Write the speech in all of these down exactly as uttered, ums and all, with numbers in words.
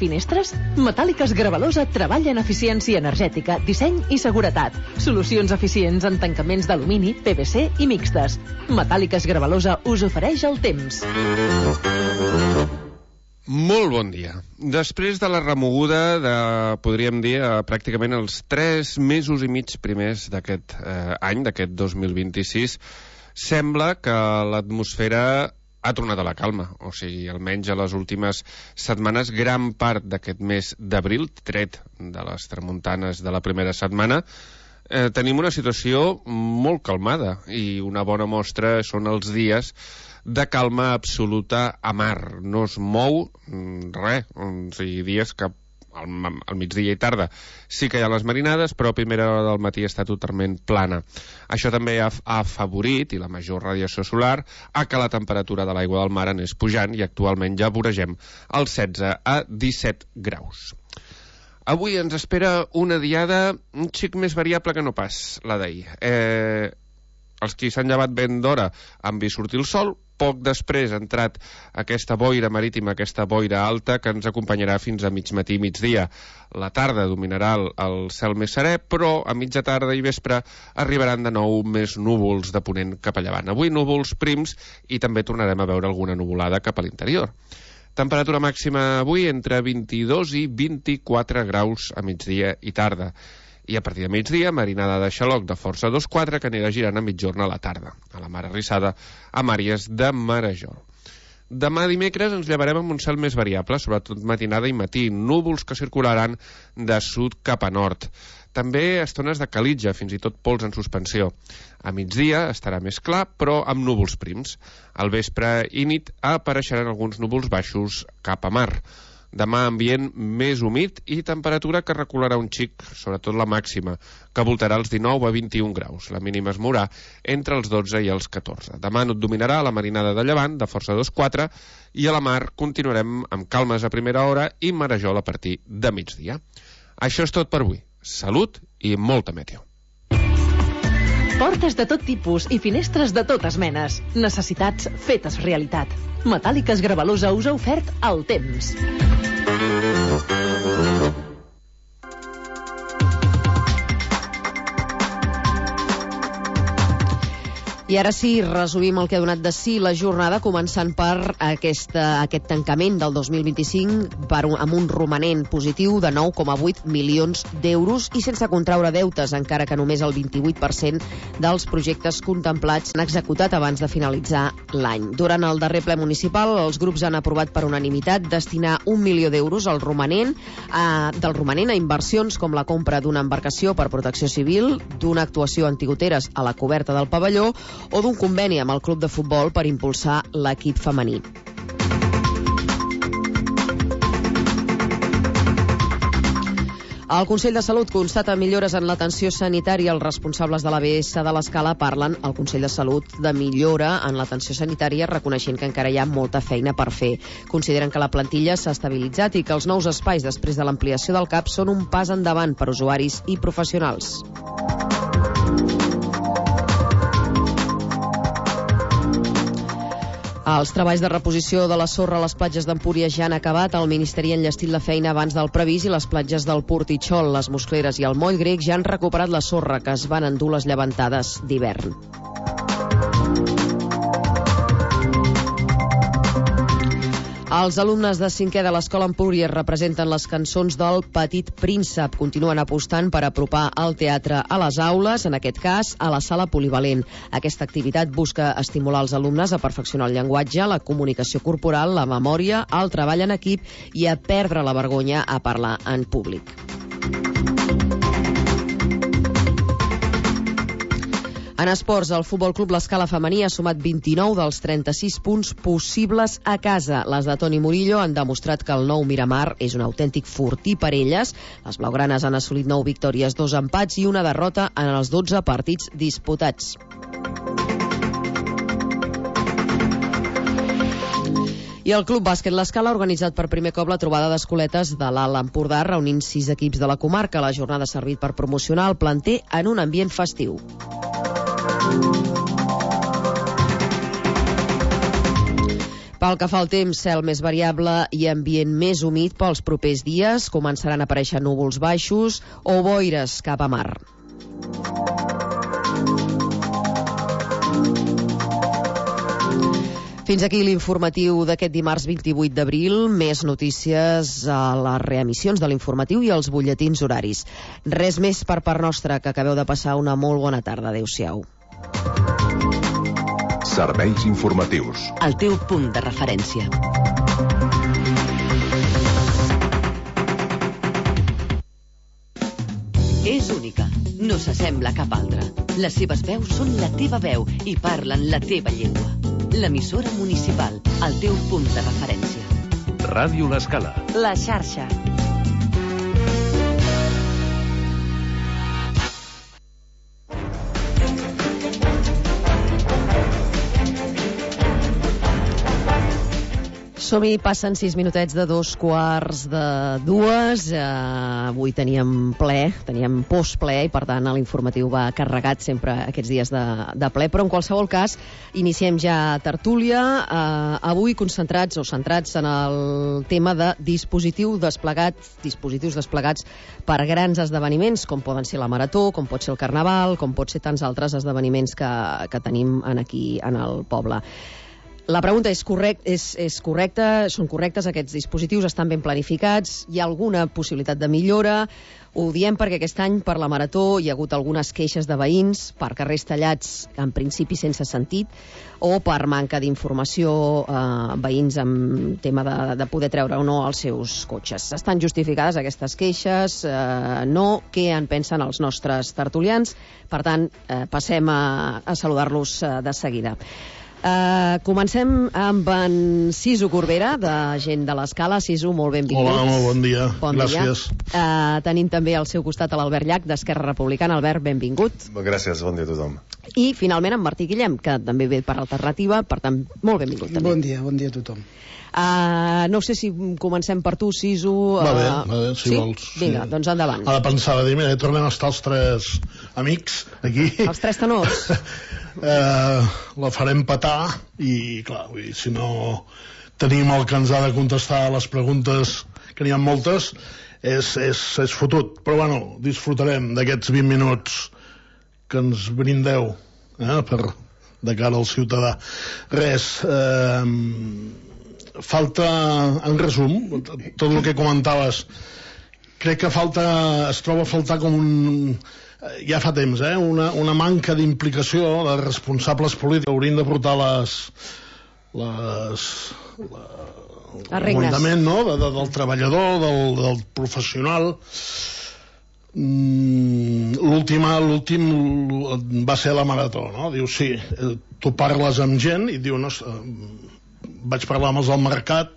finestres? Metàl·liques Gravalosa treballa en eficiència energètica, disseny i seguretat. Solucions eficients en tancaments d'alumini, P V C i mixtes. Metàl·liques Gravalosa us ofereix el temps. Molt bon dia. Després de la remoguda de, podríem dir, pràcticament els tres mesos i mig primers d'aquest eh, any, d'aquest dos mil vint-i-sis, sembla que l'atmosfera ha tornat a la calma, o sigui, almenys a les últimes setmanes, gran part d'aquest mes d'abril, tret de les tramuntanes de la primera setmana, eh, tenim una situació molt calmada, i una bona mostra són els dies de calma absoluta a mar. No es mou res, o sigui, dies que al, al migdia i tarda sí que hi ha les marinades, però a primera hora del matí està totalment plana. Això també ha, ha afavorit, i la major radiació solar, a que la temperatura de l'aigua del mar anés pujant, i actualment ja voregem els setze a disset graus. Avui ens espera una diada un xic més variable que no pas la d'ahir. Eh, els qui s'han llevat ben d'hora han vist sortir el sol. Poc després ha entrat aquesta boira marítima, aquesta boira alta, que ens acompanyarà fins a mig matí i migdia. La tarda dominarà el, el cel més serè, però a mitja tarda i vespre arribaran de nou més núvols de ponent cap a llevant. Avui núvols prims, i també tornarem a veure alguna nuvolada cap a l'interior. Temperatura màxima avui entre vint-i-dos i vint-i-quatre graus a migdia i tarda. I a partir de migdia, marinada de xaloc de força dos quatre, que anirà girant a mitjorn a la tarda, a la mar arrissada, amb àrees de marejol. Demà dimecres ens llevarem amb un cel més variable, sobretot matinada i matí, núvols que circularan de sud cap a nord. També estones de calitja, fins i tot pols en suspensió. A migdia estarà més clar, però amb núvols prims. Al vespre i nit apareixeran alguns núvols baixos cap a mar. Demà ambient més humit i temperatura que recularà un xic, sobretot la màxima, que voltarà els dinou a vint-i-un graus. La mínima es mourà entre els dotze i els catorze. Demà no et dominarà la marinada de llevant, de força dos quatre, i a la mar continuarem amb calmes a primera hora i marejol a partir de migdia. Això és tot per avui. Salut i molta meteo. Portes de tot tipus i finestres de totes menes. Necessitats fetes realitat. Metàl·liques Gravalosa us ha ofert el temps. I ara sí, resumim el que ha donat de si la jornada, començant per aquesta, aquest tancament del dos mil vint-i-cinc per un, amb un romanent positiu de nou coma vuit milions d'euros i sense contraure deutes, encara que només el vint-i-vuit per cent dels projectes contemplats s'han executat abans de finalitzar l'any. Durant el darrer ple municipal, els grups han aprovat per unanimitat destinar un milió d'euros al romanent, a, del romanent a inversions com la compra d'una embarcació per protecció civil, d'una actuació antigoteres a la coberta del pavelló o d'un conveni amb el club de futbol per impulsar l'equip femení. El Consell de Salut constata millores en l'atenció sanitària. Els responsables de l'A B S de l'Escala parlen al Consell de Salut de millora en l'atenció sanitària, reconeixent que encara hi ha molta feina per fer. Consideren que la plantilla s'ha estabilitzat i que els nous espais després de l'ampliació del C A P són un pas endavant per usuaris i professionals. Els treballs de reposició de la sorra a les platges d'Empúries ja han acabat. El Ministeri ha enllestit la feina abans del previst i les platges del Portitxol, les Moscleres i el Moll Grec ja han recuperat la sorra que es van endur les llevantades d'hivern. Els alumnes de cinquè de l'Escola Empúries representen les cançons del Petit Príncep. Continuen apostant per apropar el teatre a les aules, en aquest cas a la sala polivalent. Aquesta activitat busca estimular els alumnes a perfeccionar el llenguatge, la comunicació corporal, la memòria, el treball en equip i a perdre la vergonya a parlar en públic. En esports, el Futbol Club L'Escala femení ha sumat vint-i-nou dels trenta-sis punts possibles a casa. Les de Toni Murillo han demostrat que el nou Miramar és un autèntic fortí per elles. Les blaugranes han assolit nou victòries, dos empats i una derrota en els dotze partits disputats. I el Club Bàsquet L'Escala ha organitzat per primer cop la trobada d'escoletes de l'Alt Empordà, reunint sis equips de la comarca. La jornada ha servit per promocionar el planter en un ambient festiu. Pel que fa al temps, cel més variable i ambient més humit pels propers dies. Començaran a aparèixer núvols baixos o boires cap a mar. Fins aquí l'informatiu d'aquest dimarts vint-i-vuit d'abril. Més notícies a les reemissions de l'informatiu i als butlletins horaris. Res més per part nostra, que acabeu de passar una molt bona tarda. Adéu-siau. Serveis informatius. El teu punt de referència. És única. No s'assembla a cap altra. Les seves veus són la teva veu i parlen la teva llengua. L'emissora municipal, el teu punt de referència. Ràdio L'Escala. La xarxa. Som-hi, passen sis minutets de dos quarts de dues. Eh, avui teníem ple, teníem postple, i per tant l'informatiu va carregat sempre aquests dies de, de ple, però en qualsevol cas iniciem ja tertúlia, eh, avui concentrats o centrats en el tema de dispositiu desplegat, dispositius desplegats per grans esdeveniments, com poden ser la Marató, com pot ser el Carnaval, com pot ser tants altres esdeveniments que, que tenim en aquí en el poble. La pregunta és, correct, és, és correcta, són correctes aquests dispositius, estan ben planificats, hi ha alguna possibilitat de millora? Ho diem perquè aquest any per la Marató hi ha hagut algunes queixes de veïns per carrers tallats, en principi sense sentit, o per manca d'informació, eh, veïns amb tema de, de poder treure o no els seus cotxes. Estan justificades aquestes queixes? Eh, no? Què en pensen els nostres tertulians? Per tant, eh, passem a, a saludar-los eh, de seguida. Uh, comencem amb en Sisu Corbera, de Gent de l'Escala. Sisu, molt benvingut. Hola, molt bon dia. Bon Gràcies. Dia. Uh, tenim també al seu costat a l'Albert Llach, d'Esquerra Republicana. Albert, benvingut. Gràcies, bon dia a tothom. I finalment en Martí Guillem, que també ve per Alternativa, per tant, molt benvingut també. Bon dia, bon dia a tothom. Uh, no sé si comencem per tu, Sisu. Uh, Va bé, va bé, si sí? vols. Vinga, sí. Doncs endavant. Ara pensava dir, mira, tornem a estar els tres amics aquí. Els tres tenors. eh, la farem petar i, clar, vull dir, si no tenim el que ens ha de contestar a les preguntes, que n'hi ha moltes, és, és, és fotut. Però, bueno, disfrutarem d'aquests vint minuts que ens brindeu eh, per, de cara al ciutadà. Res, eh, falta, en resum, tot el que comentaves, crec que falta, es troba a faltar com un, ja fa temps, eh, una, una manca d'implicació de responsables polítics que haurien de portar les, les, la, el comandament, no?, de, de, del treballador, del, del professional. Mm, l'última, l'últim va ser la Marató, no? Diu, sí, tu parles amb gent i diu, no, vaig parlar amb els del mercat,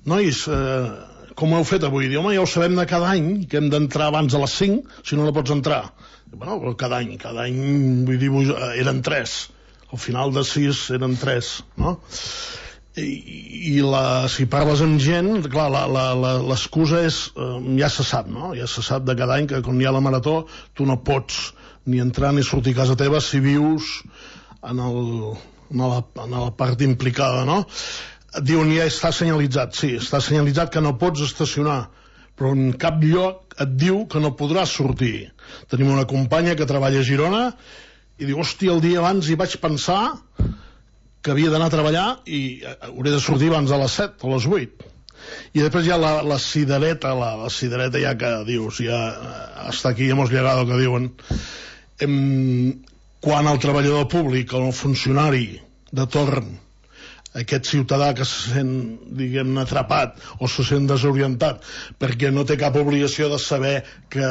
nois, eh, com ho heu fet avui? Diu, home, ja ho sabem de cada any, que hem d'entrar abans a les cinc, si no, no pots entrar. Bueno, cada any, cada any, vull dir, eren tres, al final de sis eren tres, no? I, i la, si parles amb gent, clar, l'excusa és, eh, ja se sap, no? Ja se sap de cada any que quan hi ha la Marató tu no pots ni entrar ni sortir a casa teva si vius en el... En la, en la part implicada, no? Diuen, ja està senyalitzat. Sí, està senyalitzat que no pots estacionar, però en cap lloc et diu que no podràs sortir. Tenim una companya que treballa a Girona i diu, hòstia, el dia abans hi vaig pensar que havia d'anar a treballar i hauré de sortir abans a les set o a les vuit. I després hi ha la, la cidereta, la, la cidereta ja que dius, ja està aquí, hemos llegado, que diuen... Em, quan el treballador públic o el funcionari de torn, aquest ciutadà que se sent, diguem-ne, atrapat o se sent desorientat perquè no té cap obligació de saber que,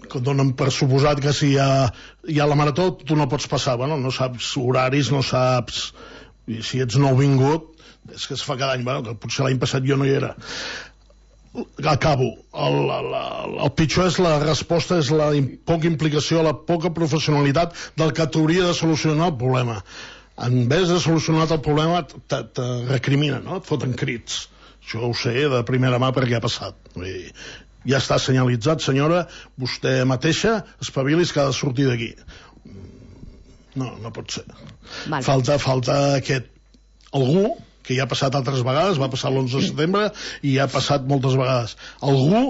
que donen per suposat que si hi ha, hi ha la Marató tu no pots passar, bueno, no saps horaris, no saps, i si ets nouvingut, és que es fa cada any, bueno, que potser l'any passat jo no hi era. Acabo. El, el, el pitjor és la resposta, és la poca implicació, la poca professionalitat del que t'hauria de solucionar el problema. En vez de solucionar el problema te, te recriminen, no? Et foten crits. Això ho sé de primera mà perquè ha passat. Vull dir, ja està senyalitzat, senyora, vostè mateixa espavilis que ha de sortir d'aquí. No, no pot ser. Vale. Falta, falta aquest algú, que ja ha passat altres vegades, va passar l'onze de setembre i ja ha passat moltes vegades, algú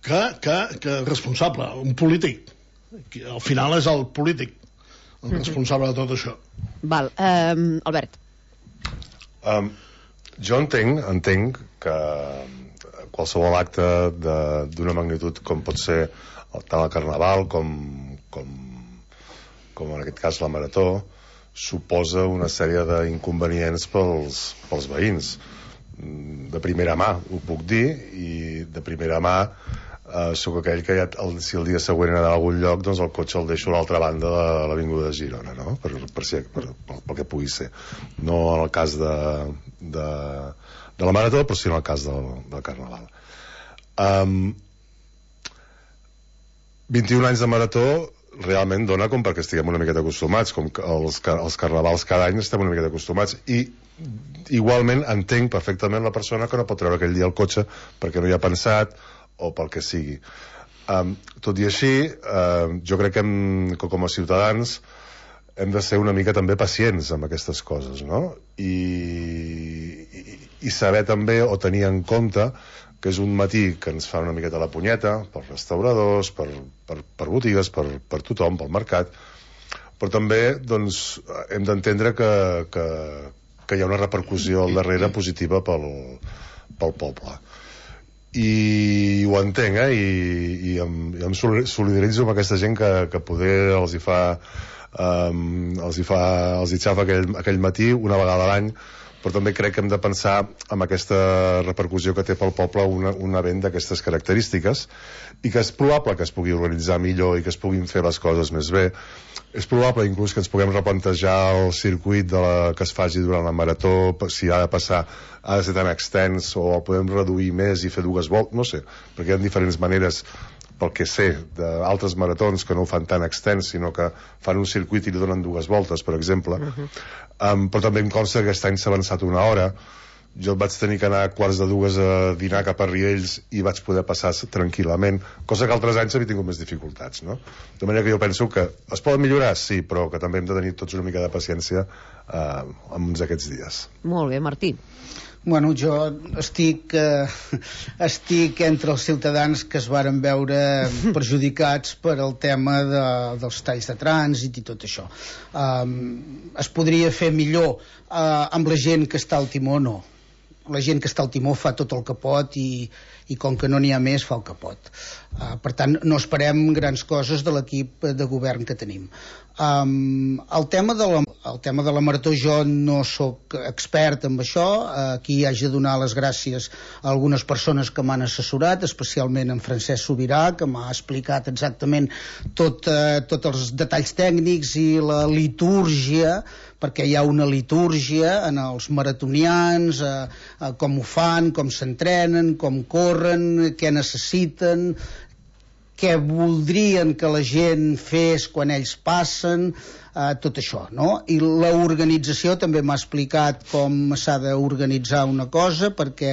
que, que, que és responsable, un polític, que al final és el polític el responsable de tot això. Val, um, Albert. Um, jo entenc, entenc que qualsevol acte d'una magnitud com pot ser tant el Carnaval com, com, com en aquest cas la Marató suposa una sèrie d'inconvenients pels, pels veïns. De primera mà ho puc dir, i de primera mà eh, sóc aquell que ja, el, si el dia següent he d'anar a algun lloc, doncs el cotxe el deixo a l'altra banda de l'avinguda de Girona, no? per, per, si, per, per, pel que pugui ser. No en el cas de, de, de la Marató, però sí en el cas del, del Carnaval. Um, vint-i-un anys de Marató realment dona com perquè estiguem una miqueta acostumats, com que els, els carnavals cada any estem una miqueta acostumats, i igualment entenc perfectament la persona que no pot treure aquell dia el cotxe perquè no hi ha pensat o pel que sigui. Um, tot i així, uh, jo crec que, hem, que com a ciutadans hem de ser una mica també pacients amb aquestes coses, no? I, i, i saber també o tenir en compte que és un matí que ens fa una miqueta la punyeta pels restauradors, per, per, per botigues, per, per tothom, pel mercat, però també doncs, hem d'entendre que, que, que hi ha una repercussió al darrere positiva pel, pel poble. I ho entenc, eh? I, i, em, i em solidaritzo amb aquesta gent que, que poder els hi fa, um, els hi fa els hi xafa aquell, aquell matí una vegada a l'any, però també crec que hem de pensar en aquesta repercussió que té pel poble una, un event d'aquestes característiques, i que és probable que es pugui organitzar millor i que es puguin fer les coses més bé. És probable inclús que ens puguem replantejar el circuit de la, que es faci durant la Marató, si ha de passar, ha de ser tan extens, o el podem reduir més i fer dues voltes, no sé, perquè hi ha diferents maneres, pel que sé, d'altres maratons que no ho fan tan extens, sinó que fan un circuit i li donen dues voltes, per exemple. Uh-huh. um, però també em consta que aquest any s'ha avançat una hora. Jo vaig tenir que anar a quarts de dues a dinar cap a Riells i vaig poder passar tranquil·lament, cosa que altres anys havia tingut més dificultats, no? De manera que jo penso que es poden millorar, sí, però que també hem de tenir tots una mica de paciència eh, amb aquests dies. Molt bé, Martí. Bueno, jo estic, eh, estic entre els ciutadans que es varen veure perjudicats per el tema de, dels talls de trànsit i tot això. Um, es podria fer millor uh, amb la gent que està al timó, no. La gent que està al timó fa tot el que pot i, i com que no n'hi ha més fa el que pot. Uh, per tant, no esperem grans coses de l'equip de govern que tenim. Um, el, tema de la, el tema de la Marató, jo no sóc expert en això. Uh, aquí haig de donar les gràcies a algunes persones que m'han assessorat, especialment en Francesc Sobirà, que m'ha explicat exactament tot, uh, tots els detalls tècnics i la litúrgia, perquè hi ha una litúrgia en els maratonians, eh, eh, com ho fan, com s'entrenen, com corren, què necessiten, què voldrien que la gent fes quan ells passen, eh, tot això, no? I l'organització també m'ha explicat com s'ha d'organitzar una cosa perquè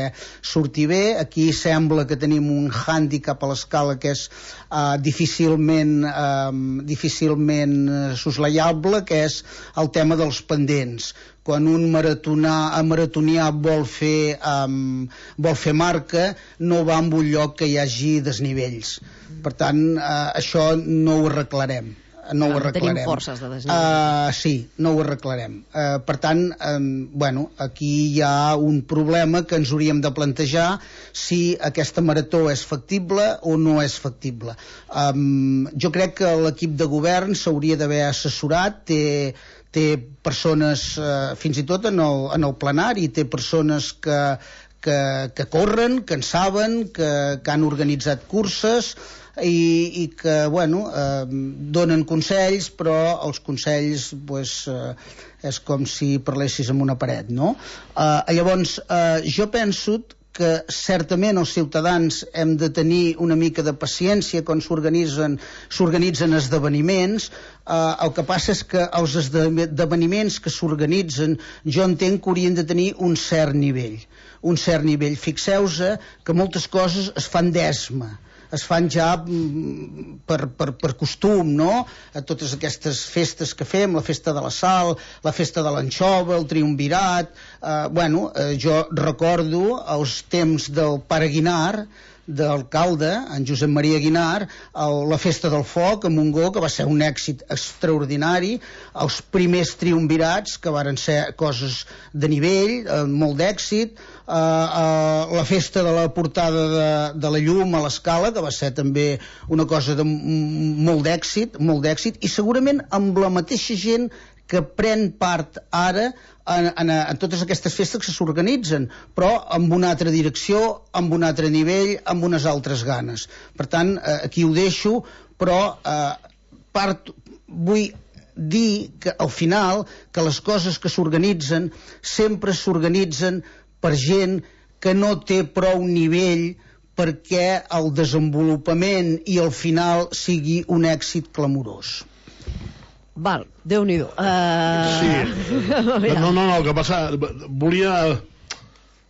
surti bé. Aquí sembla que tenim un hàndicap a l'escala que és eh, difícilment, eh, difícilment soslayable, que és el tema dels pendents. Quan un maratonià, maratonià vol fer um, vol fer marca, no va en un lloc que hi hagi desnivells. Per tant, uh, això no ho arreglarem. No ho arreglarem. Tenim forces de desnivell. Uh, sí, no ho arreglarem. Uh, per tant, um, bueno, aquí hi ha un problema que ens hauríem de plantejar si aquesta marató és factible o no és factible. Um, jo crec que l'equip de govern s'hauria d'haver assessorat, té té persones, eh, fins i tot en el, en el plenari, té persones que, que, que corren, que en saben, que, que han organitzat curses i, i que, bueno, eh, donen consells, però els consells, pues, eh, és com si parlessis amb una paret, no? Eh, llavors, eh, jo penso que certament els ciutadans hem de tenir una mica de paciència quan s'organitzen s'organitzen esdeveniments. Uh, el que passa és que els esdeveniments que s'organitzen jo entenc que haurien de tenir un cert nivell un cert nivell. Fixeu-vos que moltes coses es fan d'esma, es fan ja per, per, per costum, no? A totes aquestes festes que fem, la festa de la sal, la festa de l'anxova, el triumvirat, eh, bueno, eh, jo recordo els temps del pare Guinar, d'alcalde, en Josep Maria Guinar, el, la festa del foc a Montgó, que va ser un èxit extraordinari, els primers triumvirats, que varen ser coses de nivell, eh, molt d'èxit, eh, eh, la festa de la portada de, de la llum a l'Escala, que va ser també una cosa de molt d'èxit, molt d'èxit, i segurament amb la mateixa gent que pren part ara en, en, en totes aquestes festes que s'organitzen, però amb una altra direcció, amb un altre nivell, amb unes altres ganes. Per tant, eh, aquí ho deixo, però eh, part, vull dir que al final que les coses que s'organitzen sempre s'organitzen per gent que no té prou nivell perquè el desenvolupament i el final sigui un èxit clamorós. Val, Déu-n'hi-do. Uh... Sí. No, no, no, el que passa... Volia,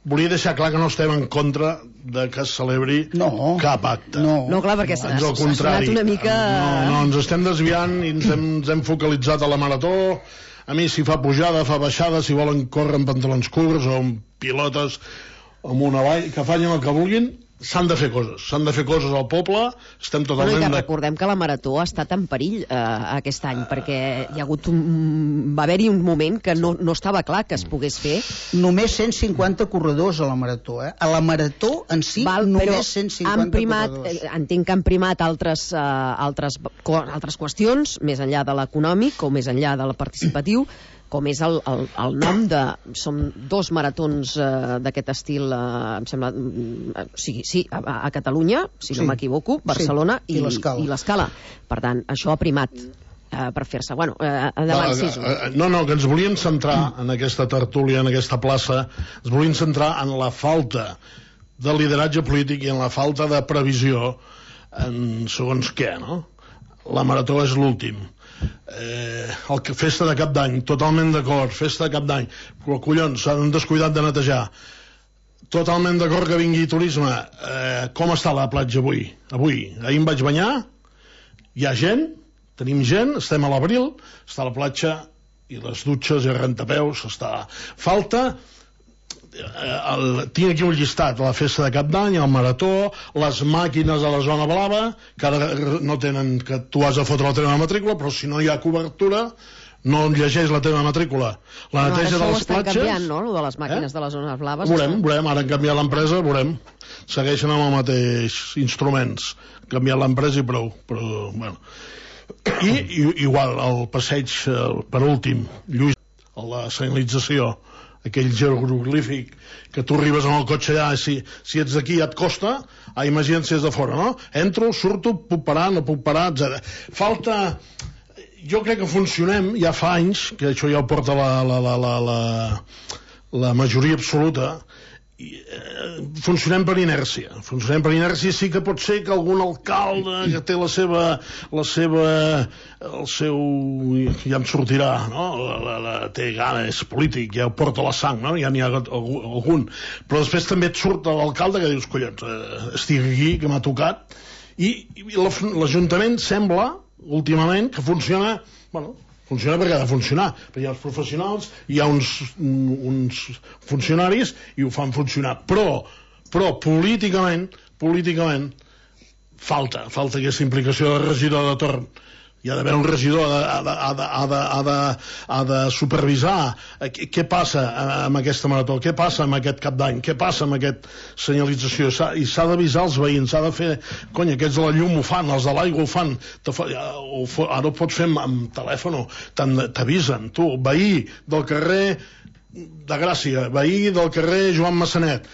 volia deixar clar que no estem en contra de que es celebri no, cap acte. No, no clar, perquè s'ha sonat una mica... No, no, ens estem desviant i ens hem, ens hem focalitzat a la marató. A mi, si fa pujada, fa baixada, si volen córrer amb pantalons curts o amb pilotes o amb una vall, que facin el que vulguin, s'han de fer coses, s'han de fer coses al poble, estem totalment... Bueno, i que recordem que la Marató ha estat en perill eh, aquest any, perquè hi ha hagut un... va haver-hi un moment que no, no estava clar que es pogués fer. Només cent cinquanta corredors a la Marató, eh? A la Marató en si, Val, només cent cinquanta primat, corredors. Eh, entenc que han primat altres, eh, altres, co altres qüestions, més enllà de l'econòmic o més enllà del participatiu, com és el, el, el nom de... Som dos maratons eh, d'aquest estil, eh, em sembla... Eh, sí, sí, a, a Catalunya, si sí. no m'equivoco, Barcelona sí. i, i l'Escala. Per tant, això ha primat eh, per fer-se. Bueno, eh, endavant, Sisu. No, no, que ens volíem centrar en aquesta tertúlia, en aquesta plaça, ens volíem centrar en la falta de lideratge polític i en la falta de previsió en segons què, no? La Marató és l'últim. Eh, el que, festa de cap d'any, totalment d'acord, festa de cap d'any, però collons, s'han descuidat de netejar, totalment d'acord que vingui turisme. Eh, com està la platja avui? Avui, ahir em vaig banyar, hi ha gent, tenim gent, estem a l'abril, està a la platja i les dutxes i rentapeus, està... Falta... El, tinc aquí un llistat, la festa de cap d'any, el marató, les màquines a la zona blava, que ara no tenen, que tu has de fotre la teva matrícula, però si no hi ha cobertura no llegeix la teva matrícula. La no, neteja de les platges... Ara això ho estan canviant, no?, lo de les màquines eh? de les zones blaves. Veurem, veurem, ara han canviat l'empresa, veurem. Segueixen amb el mateix instruments. Han canviat l'empresa i prou, però, bueno... I, i igual, el passeig, per últim, Lluís, la senyalització, aquell jeroglífic que tu arribes amb el cotxe allà, si, si ets d'aquí ja et costa, ah, imagina't si és de fora, no? Entro, surto, puc parar, no puc parar, etcètera. Falta... Jo crec que funcionem, ja fa anys, que això ja ho porta la, la, la, la, la, la majoria absoluta, i, eh, funcionem per inèrcia. Funcionem per inèrcia, sí que pot ser que algun alcalde que té la seva, la seva, el seu, ja em sortirà, no? La, la, la, té gana, és polític, ja ho porta la sang, no? Ja n'hi ha algun. Però després també et surt l'alcalde que dius, collons, eh, estic aquí, que m'ha tocat, i, i l'Ajuntament sembla, últimament, que funciona, bueno, funciona perquè ha de funcionar, perquè hi ha els professionals, hi ha uns, uns funcionaris i ho fan funcionar, però, però políticament, políticament falta, falta aquesta implicació de regidor de torn. Hi ha d'haver un regidor, ha de, ha de, ha de, ha de, ha de supervisar què, què passa amb aquesta marató, què passa amb aquest cap d'any, què passa amb aquesta senyalització, i s'ha d'avisar els veïns, s'ha de fer, cony, aquests de la llum ho fan, els de l'aigua ho fan, ho, ara ho pots fer amb, amb telèfon, t'avisen, tu, veí del carrer de Gràcia, veí del carrer Joan Massanet,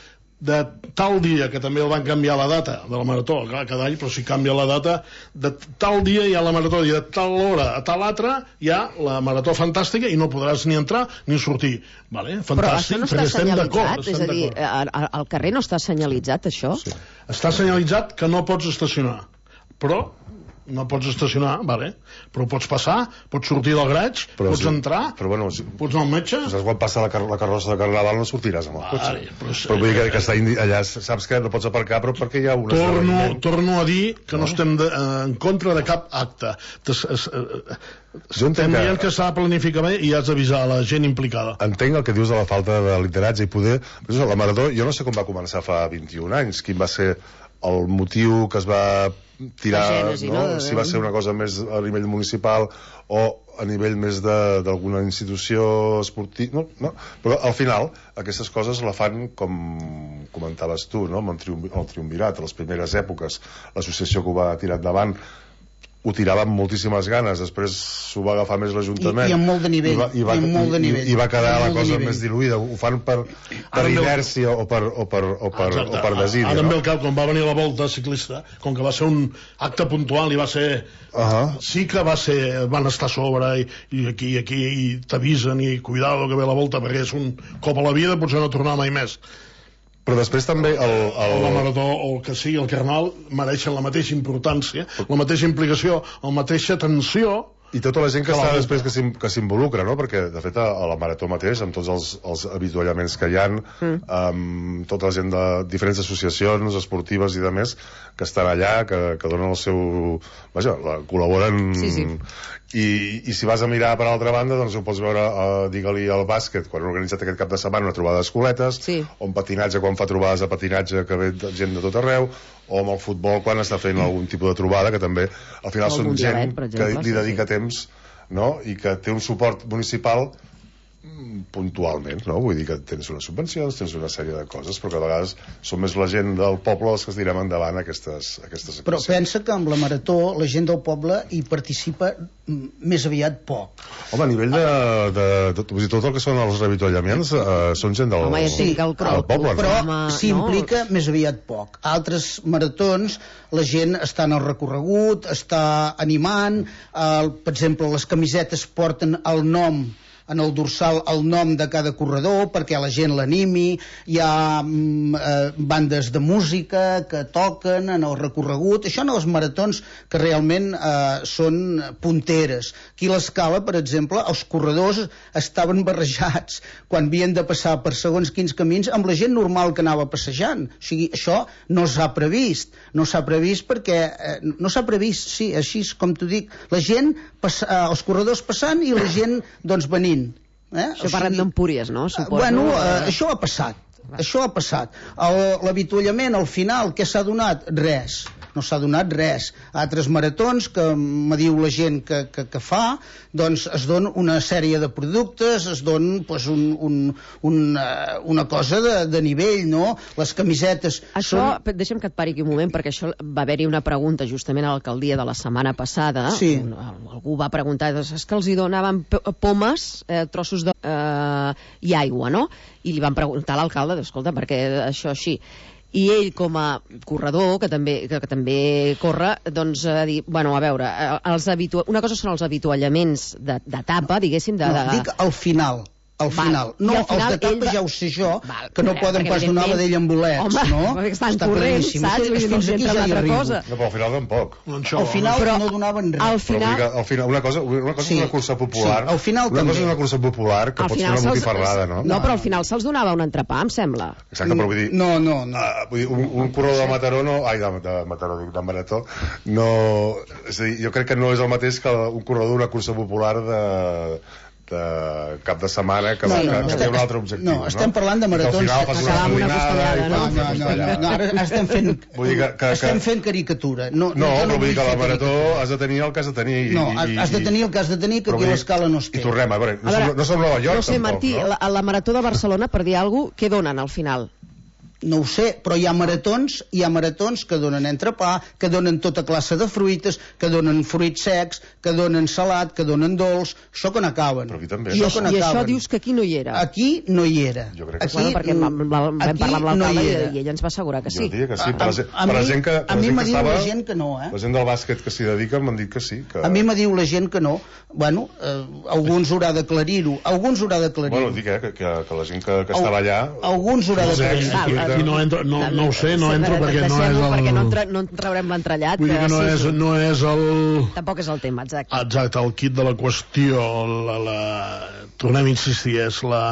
de tal dia, que també el van canviar la data de la marató, clar, cada any, però si canvia la data, de tal dia hi ha la marató i de tal hora a tal altra hi ha la marató fantàstica i no podràs ni entrar ni sortir. Vale? Fantàstic, però això no està senyalitzat, és a dir, al carrer no està senyalitzat això? Sí. Està senyalitzat que no pots estacionar, però no pots estacionar, vale, però pots passar, pots sortir del graig, però pots sí, entrar, però bueno, si, pots anar al metge. Saps quan passa la, car la carrossa de Carnaval no sortiràs amb el cotxe. Vale, però, però vull dir que, que està allà, saps que no pots aparcar, però perquè hi ha una... Torno, torno a dir que no, no estem de, eh, en contra de cap acte. Es, es, eh, estem dient que, que s'ha de planificar bé i has d'avisar la gent implicada. Entenc el que dius de la falta de lideratge i poder... La Marató, jo no sé com va començar fa vint-i-un anys, quin va ser el motiu que es va tirar, Gènesi, no? no? Si va ser una cosa més a nivell municipal o a nivell més d'alguna institució esportiva, no, no, però al final aquestes coses la fan com comentaves tu, no? Amb el, triumvi, el triumvirat, a les primeres èpoques l'associació que ho va tirar endavant ho tirava amb moltíssimes ganes, després s'ho va agafar més l'Ajuntament i, i amb molt de nivell, i va, i va, i, molt de nivell. I, i va quedar la cosa nivell. més diluïda, ho fan per, per inèrcia o per, o per, o per, o per desídia. Ara em ve no? el cap, quan va venir la volta ciclista, com que va ser un acte puntual i va ser... Uh -huh. Sí que va ser, van estar a sobre i, i aquí i aquí i t'avisen i cuidado que ve la volta perquè és un cop a la vida, potser no tornar mai més. Però després també el, el... la Marató o el que sigui el Carnaval mereixen la mateixa importància, la mateixa implicació, la mateixa tensió i tota la gent que, que està després que s'involucra, no? Perquè de fet a, a la Marató mateix, amb tots els, els avituallaments que hi ha, mm. amb tota la gent de diferents associacions esportives i de més que estan allà, que, que donen el seu... Vaja, la, col·laboren sí, sí. I, i si vas a mirar per altra banda, doncs ho pots veure, uh, digue-li al bàsquet, quan han organitzat aquest cap de setmana una trobada d'escoletes, sí. o en patinatge quan fa trobades de patinatge que ve gent de tot arreu, o amb el futbol quan està fent algun tipus de trobada, que també al final són gent que li dedica temps, no? I que té un suport municipal puntualment, no? Vull dir que tens unes subvencions, tens una sèrie de coses, però que a vegades són més la gent del poble els que es direm endavant aquestes, aquestes però pensa que amb la Marató la gent del poble hi participa més aviat poc. Home, a nivell de, de, de, de tot el que són els reavituallaments eh, són gent del, Home, ja sí, del poble, però no? s'implica no? més aviat poc. Altres maratons la gent està en el recorregut, està animant, eh, per exemple les camisetes porten el nom en el dorsal el nom de cada corredor perquè la gent l'animi, hi ha mm, eh, bandes de música que toquen en el recorregut, això en els maratons que realment eh, són punteres. Aquí a l'Escala, per exemple, els corredors estaven barrejats quan havien de passar per segons quins camins amb la gent normal que anava passejant. O sigui, això no s'ha previst, no s'ha previst perquè eh, no s'ha previst, sí, així com t'ho dic, la gent, pass, eh, els corredors passant i la gent doncs venint. Eh? Això o sigui, parlem d'Empúries, no? Suposo. Bueno, eh, això ha passat. Això ha passat. L'avituallament, al final, què s'ha donat? Res. No s'ha donat res. Altres maratons que me diu la gent que, que, que fa, doncs es dona una sèrie de productes, es dona pues, un, un, un, una cosa de, de nivell, no? Les camisetes... Això, són... deixa'm que et pari aquí un moment, perquè això va haver-hi una pregunta justament a l'alcaldia de la setmana passada. Sí. Un, algú va preguntar, és que els hi donaven pomes, eh, trossos de... Eh, i aigua, no? I li van preguntar a l'alcalde, escolta, per què això així? I ell, com a corredor, que també, que, que també corre, doncs ha dit, bueno, a veure, els habitu... una cosa són els avituallaments d'etapa, diguéssim, de... No, dic al final. Al final. Val. No, al final, els d'etapa va... ja ho sé jo, val, que no poden pas donar la d'ell amb bolets, home, no? Perquè estan Està corrents, saps? Vull dir, no sé entre l'altra cosa. No, però al final tampoc. Al final però, no donaven res. Al final... Però, al final una cosa, una cosa sí, és una cursa popular. Sí, al final una també. cosa és una cursa popular que pots fer una botifarrada, no? No, però al final se'ls donava un entrepà, em sembla. Exacte, però vull dir... No, no, no. Uh, vull dir, un, un corredor de Mataró no... Ai, de, de Mataró, dic, de Marató, no... És a dir, jo crec que no és el mateix que un corredor d'una cursa popular de... de cap de setmana que, no, no, que, no, que té un altre objectiu. No, estem no? parlant de maratons... Que al final fas una coordinada... No, no, no, no, no, ara estem fent... Vull dir que, que, estem fent caricatura. No, no, no, però no vull dir que la marató has de tenir el que has de tenir. I, no, i, has de tenir el que has de tenir, que aquí a l'Escala no es té. I tornem, a veure, no, a veure, som, no som Nova York, no sé, tampoc, Martí, no? La, a la marató de Barcelona, per dir alguna cosa, què donen al final? No ho sé, però hi ha maratons, hi ha maratons que donen entrepà, que donen tota classe de fruites, que donen fruits secs, que donen salat, que donen dolç, això que n'acaben. Però aquí també. I, això, I això dius que aquí no hi era? Aquí no hi era. Jo crec que aquí, sí. Perquè vam, vam parlar amb l'alcalde no i ell ens va assegurar que sí. Jo diria que sí. Per la, a, a, per la mi, gent que, a mi m'ha dit estava, la gent que no, eh? La gent del bàsquet que s'hi dedica m'han dit que sí. Que... A mi m'ha dit la gent que no. Bueno, eh, alguns haurà d'aclarir-ho. Alguns haurà d'aclarir-ho. Bueno, dic, eh, que, que, que la gent que, que estava allà... Alguns haurà d'aclarir-ho. aquí no entro, no, no ho sé, no entro perquè no és el... perquè no, tra no traurem l'entrellat. Vull dir que no, sí, és, no és el... Tampoc és el tema, exacte. Exacte, el kit de la qüestió, la, la... tornem a insistir, és la...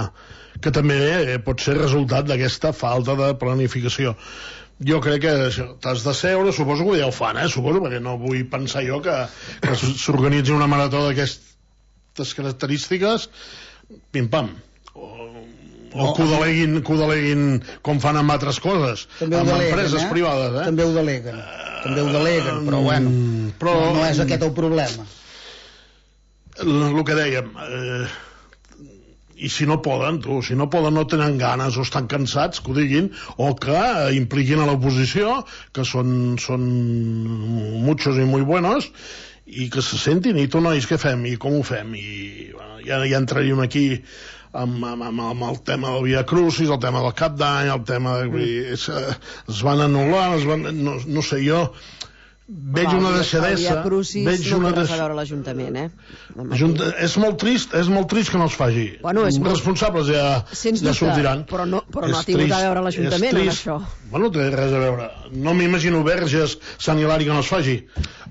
que també eh, pot ser resultat d'aquesta falta de planificació. Jo crec que t'has de seure, suposo que ja ho fan, eh? Suposo, perquè no vull pensar jo que, que s'organitzi una marató d'aquestes característiques, pim-pam. O, o no, que, ho deleguin, que ho deleguin com fan amb altres coses, amb deleguen, empreses eh? privades. Eh? També ho deleguen, uh, també ho deleguen, però bueno, però, no, no és aquest el problema. El que dèiem... Eh, i si no poden, tu, si no poden, no tenen ganes o estan cansats, que ho diguin, o que impliquin a l'oposició, que són, són muchos i muy buenos, i que se sentin, i tu, nois, què fem, i com ho fem, i bueno, ja, ja entraríem aquí amb, amb, amb el tema del Via Crucis, el tema del Cap d'Any, el tema de... Mm. Es, es van anul·lar, es van, no, no sé jo... Veig Val, una deixadesa, veig no una deixadesa... No té res a veure l'Ajuntament, eh? Junta... És molt trist, és molt trist que no es faci. Bueno, és molt... responsables ja, ja sortiran. Però no, però no ha tingut a veure l'Ajuntament en això. Bueno, té res a veure. No m'imagino Verges, Sant Hilari que no es faci.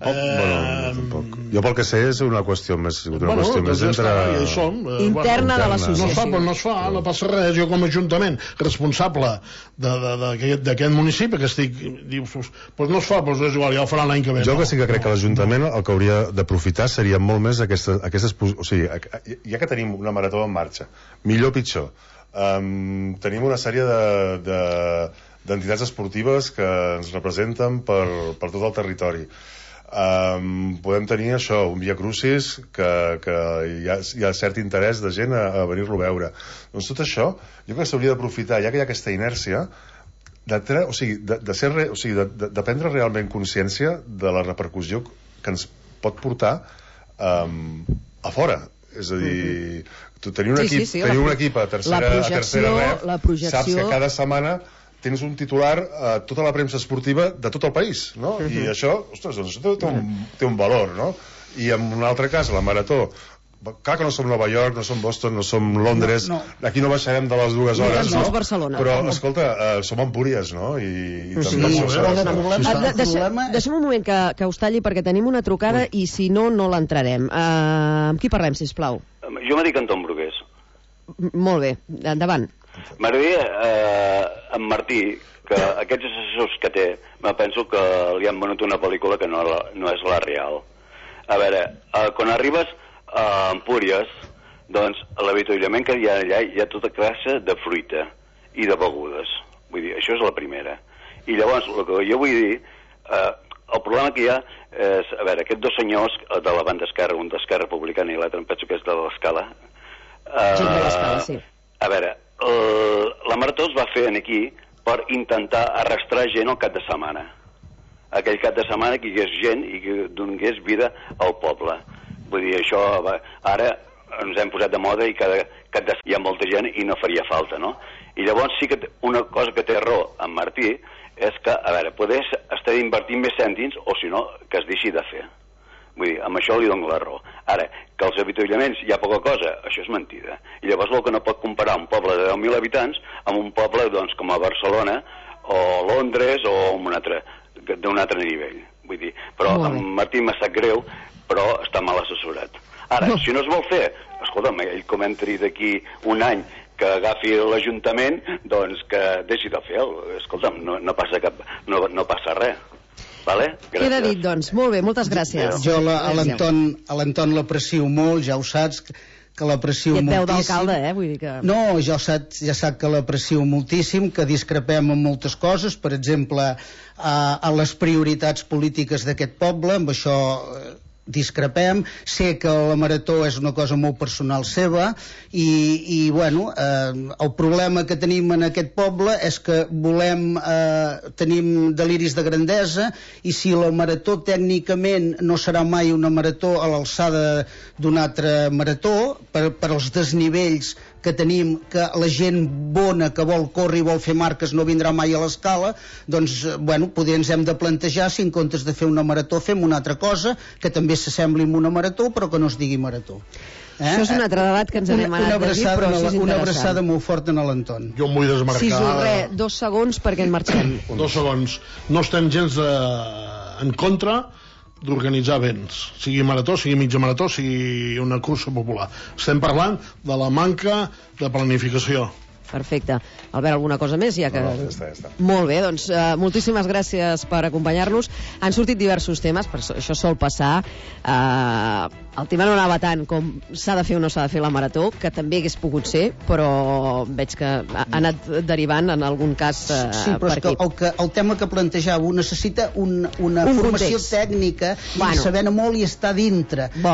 Oh, eh... bueno, tampoc. Jo pel que sé és una qüestió més, una bueno, qüestió més ja entre... Està, ja som, eh, interna bueno, de l'associació. No es fa, però no es fa, no passa res. Jo com a Ajuntament responsable d'aquest municipi que estic... Dius, doncs no es fa, doncs és igual, ja ho faran l'any que ve. Jo que sí que crec que l'Ajuntament el que hauria d'aprofitar seria molt més aquestes, aquestes... O sigui, ja que tenim una marató en marxa, millor o pitjor, um, tenim una sèrie de, de, d'entitats esportives que ens representen per, per tot el territori. Um, podem tenir això, un Via Crucis que, que hi, ha, hi ha cert interès de gent a, a venir-lo a veure. Doncs tot això jo crec que s'hauria d'aprofitar, ja que hi ha aquesta inèrcia, de, tre... o sigui, de, de, ser re... o sigui, de, de, de prendre realment consciència de la repercussió que ens pot portar um, a fora. És a dir, tu tenir un, sí, equip, sí, sí, tenir un equip a tercera, a tercera ref, saps que cada setmana tens un titular a uh, tota la premsa esportiva de tot el país, no? Uh-huh. I això, ostres, doncs això té un, té un valor, no? I en un altre cas, la marató, clar que no som Nova York, no som Boston, no som Londres, no, no. Aquí no baixarem de les dues hores, no? No, Barcelona. Però, escolta, uh, som Empúries, no? I, i sí, també sí, sí, sí. Deixem, deixem un moment que, que us talli perquè tenim una trucada Ui. I si no, no l'entrarem. Uh, amb qui parlem, sisplau? Jo m'he dit Anton Brugués. M Molt bé, endavant. M'agradaria, eh, en Martí, que aquests assessors que té, me penso que li han venut una pel·lícula que no, no és la real. A veure, eh, quan arribes a Empúries, doncs a l'avituallament que hi ha allà hi ha tota classe de fruita i de begudes. Vull dir, això és la primera. I llavors, el que jo vull dir, eh, el problema que hi ha és, a veure, aquests dos senyors de la banda esquerra, un d'Esquerra Republicana i l'altre em penso que és de l'Escala. Eh, sí, de l'Escala, sí. A veure, el, la marató es va fer aquí per intentar arrastrar gent al cap de setmana. Aquell cap de setmana que hi hagués gent i que donés vida al poble. Vull dir, això va, ara ens hem posat de moda i cada cap de hi ha molta gent i no faria falta, no? I llavors sí que una cosa que té raó en Martí és que, a veure, poder estar invertint més cèntims o si no, que es deixi de fer. Vull dir, amb això li dono la raó. Ara, que els avituallaments hi ha poca cosa, això és mentida. I llavors el que no pot comparar un poble de deu mil habitants amb un poble, doncs, com a Barcelona o Londres o un altre, d'un altre nivell. Vull dir, però en Martí m'ha sap greu, però està mal assessorat. Ara, no. Si no es vol fer, escolta'm, ell com entri d'aquí un any que agafi l'Ajuntament, doncs que deixi de fer. Escolta'm, no, no, passa cap, no, no passa res. Vale? Queda dit, doncs. Molt bé, moltes gràcies. Jo a l'Anton l'aprecio molt, ja ho saps, que l'aprecio moltíssim. I et veu d'alcalde, eh? Vull dir que... No, ja sap, ja sap que l'aprecio moltíssim, que discrepem en moltes coses, per exemple, a, a les prioritats polítiques d'aquest poble, amb això discrepem, sé que la marató és una cosa molt personal seva i, i bueno, eh, el problema que tenim en aquest poble és que volem, eh, tenim deliris de grandesa i si la marató tècnicament no serà mai una marató a l'alçada d'una altra marató, per, per als desnivells que tenim, que la gent bona que vol córrer i vol fer marques no vindrà mai a l'escala, doncs, bueno, potser ens hem de plantejar si en comptes de fer una marató fem una altra cosa que també s'assembli a una marató però que no es digui marató. Eh? Això és un altre debat que ens anem una, una anant d'aquí, però la, això és una abraçada molt forta en l'Anton. Jo em vull desmarcar... Sisu, res, dos segons perquè en marxem. Dos segons. No estem gens eh, en contra d'organitzar events, sigui marató, sigui mitja marató, sigui una cursa popular. Estem parlant de la manca de planificació. Perfecte. Albert, alguna cosa més? Ja que... No, no, ja està, ja està. Molt bé, doncs uh, moltíssimes gràcies per acompanyar-nos. Han sortit diversos temes, però això sol passar. Uh, el tema no anava tant com s'ha de fer o no s'ha de fer la marató, que també hagués pogut ser, però veig que ha anat derivant en algun cas uh, sí, però per és que aquí. el, que el tema que plantejàveu necessita un, una un formació context. tècnica, Bueno. i saber-ne molt i estar dintre. Vol.